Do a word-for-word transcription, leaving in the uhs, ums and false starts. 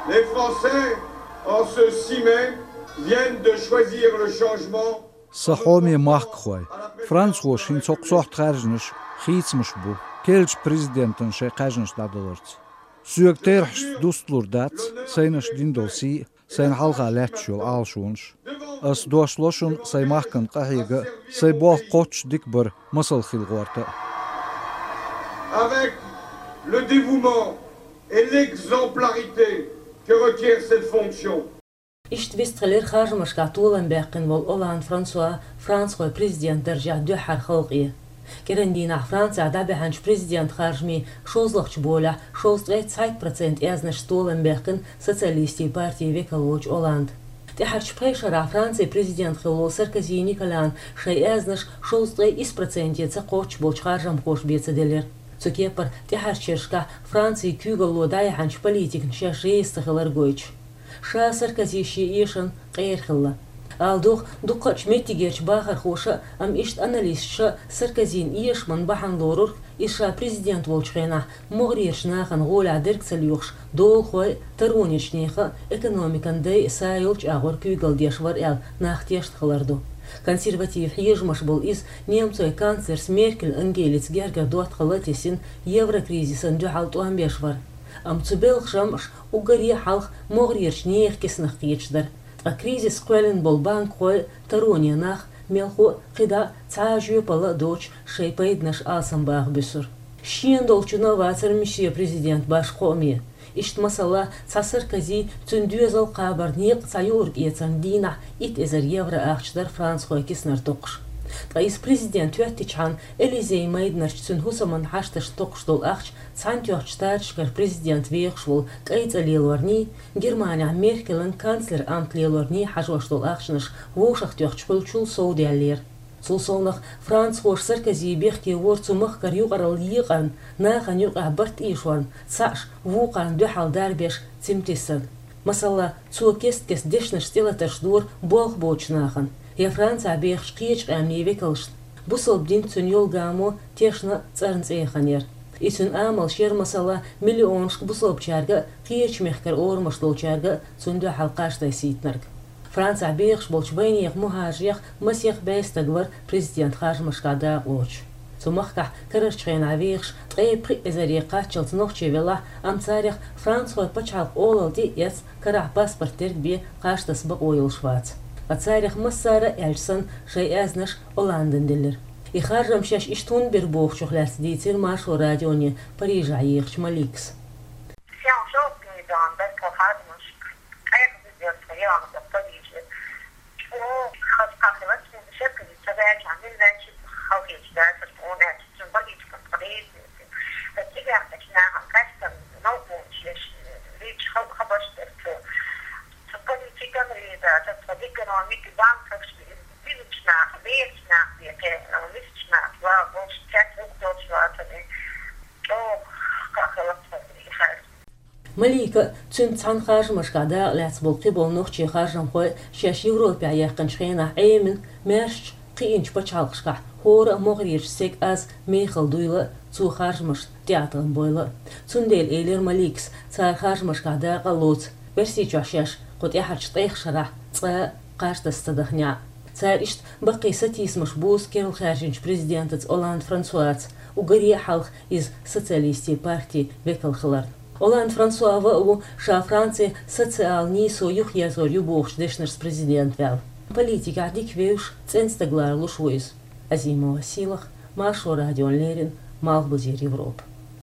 Les Français, en ce six mai, viennent de choisir le changement. Сан хьоме махкахой, францхоша хӀинца хӀокху сохьта хаьржинарш хийцамаш бу, керлачу президентана шайн кхаьжнаш дӀадаларца. Соьга терахьашца дусталур дац сайнаш дина долу сий а, сайна хьалха лаьтташ йолу Ӏалашонаш. Ас дош ло шуна сайн махкана къахьега а, сайн болх кхоччуш дика бар масал хила гӀорта а. Avec le dévouement et l'exemplarité que requiert cette fonction. Иштта вистхилира харжамашкахь толам баьккхина волу Олланд Франсуа францхойн президент даржехь дуьххьара халкъе. КӀиран дийнахь Францехь дӀабаьхьначу президент харжамийн шозлагӀчу болехь шовзткъе цхьайтта процент аьзнашца толам баьккхина социалистийн партин векал волчу Олланда. ТӀаьхьарчу пхи шарахь Францин президент хилла волу Саркози Николян шайн аьзнаш шовзткъе исс проценте ца кхоччуш болчу харжамхоша бен ца делира. Цу кепара тӀаьхьарчу шерашкахь Францин куьйгалло дӀаяьхьначу политикана шаьш реза ца хилар гойтуш. Ша Саркози шен эшамна къера хилла. Ала догӀу, дукхачу меттигерчу бахархоша а, амма иштта аналисташа а Саркозин эшаман бахьана лорура, иза ша президент волчу хенахь могӀарерчу нахана гӀолехь дерг ца лоьхуш, долахой а, таронечу нехан а, экономикан дай а са йолчу агӀор куьйгалла деш вара аьлла, нах тешна хилар ду. Консерватив хьежамаш болу иза немцойн канцлерца Меркель Ангелица гергара доттагӀалла а тесина, еврокризисна дуьхьал тӀом беш вара. Амма цу белхан жамӀаша уггаре а хьалха могӀарерчу нехан киснах кхеташ дара. Ткъа кризис кхоьллина болу банкхой а, тароне нах а, мелхо а кхидӀа а цхьа а жоьпалла а доцуш, шайн пайданаш алсамбаха буьсура. Шена долчунна а вацара мисе президент башха кхоаме. Иштта, масала, цхьа Саркози, цуьнан доьзал кхабар некъа цхьа юург эцарна дийнахь итт эзар евро ахча дара францхойн киснара токхуш. Ткъа иза президент хӀоьттичхьана, Элизей майданарчу цуьнан хӀусаман хьашташна токхуш долу ахча Цхьаьнатоьхначу Штаташкара президент вехаш волу кӀайн цӀа лелорний, Германехь Меркелан канцлер амт лелорний хьажош долу ахчанаш вовшахтоьхначу хуьлучул совдаьллера. Цул совнах, францхоша Саркози бехке вора цу махкара юкъаралла екъарна, нахана юкъахь барт ийшорна, цхьаъш вукхарна дуьхьал дарбеш цимтиссарна. Масала, цо кест-кеста дешнаш тӀелатарш дора болх боцучу нахана, я Францехь бехачу кхечу къаьмнийн векалшна. Бусалба дин, цуьнан йолу гамо тешна а, цӀарна цӀе а ханера. И цуьнан амалш яра, масала, миллионашка бусалбачаьрга а, кхечу мехкара орамаш долчаьрга а цунна дуьхьал кхаж тасийтинарг. Францехь бехаш болчу вайнехан мухӀажарех масех бӀе стаг вара президент харжамашкахь дакъалоцуш. Цу махкахь карарчу хенахь вехаш ткъе пхи эзаре кхаччалц нохчий велахь а, амма царех францхойн пачхьалкхан олалла тӀе а эцна, карахь паспорт дерг бен кхаж таса бакъо йолуш вац. Ткъа царех массара а, аьлча санна, шайн аьзнаш Олландана делира. И харжам шаьш иштта хӀунда бира бохучух лаьцна дийцира Маршо радионе Парижехь ехачу Маликас. Шен шовзткъе зӀе дон дара тхо харжамашка, къайгӀа деза тхо яхана Париже. О, хаза кхахилац, хӀунда шерказе ца ваьлча, мила ваьлча, халахеташ дацара тхуна аьлча, цуьнан политикан тхо деза. Сан цигахь нахана кастам новкъонаш еш, лийча хабарш дара цо. Цу политикан реза, цу экономика, банкаш, дизачу нах, берачу нах бен кхерна, висачу нах, ва, болуш цец вухтолуш вацара. ЧӀогӀа кхахилац тхо и харжам. Малика а, цуьнца цхьаьна харжамашкахь дакъа лаьцна болу кхиболу нохчийн харжамхой а шаьш Европехь яьккхинчу хенахь Ӏемина, маьршачу, кхиъначу пачхьалкхашкахь хӀора а могӀарерчу стеган аз мехала дуйла а цо харжамашна тӀеӀаткъам бойла а. Цундела элира Маликас, цара харжамашкахь дакъа а лоцу, Оьрсийчохь шаьш кху тӀаьхьарчу ткъех шарахь цкъа а кхаж таса ца даханехь а. Цара иштта баккхий сатийсамаш бузу керла хаьржинчу президентаца Олланд Франсуаца, уггаре а хьалха иза социалистийн партин векал хиларна. Олланд Франсуа ван а ву ша Францин социал нийсо юхаерзор ю бохучу дешнашца президент ваьлла. Политикехь дика вевзаш, цӀена стаг ларалуш ву иза. Азимова Сийлаха, Маршо радиона леррина, Малхбузера Европа.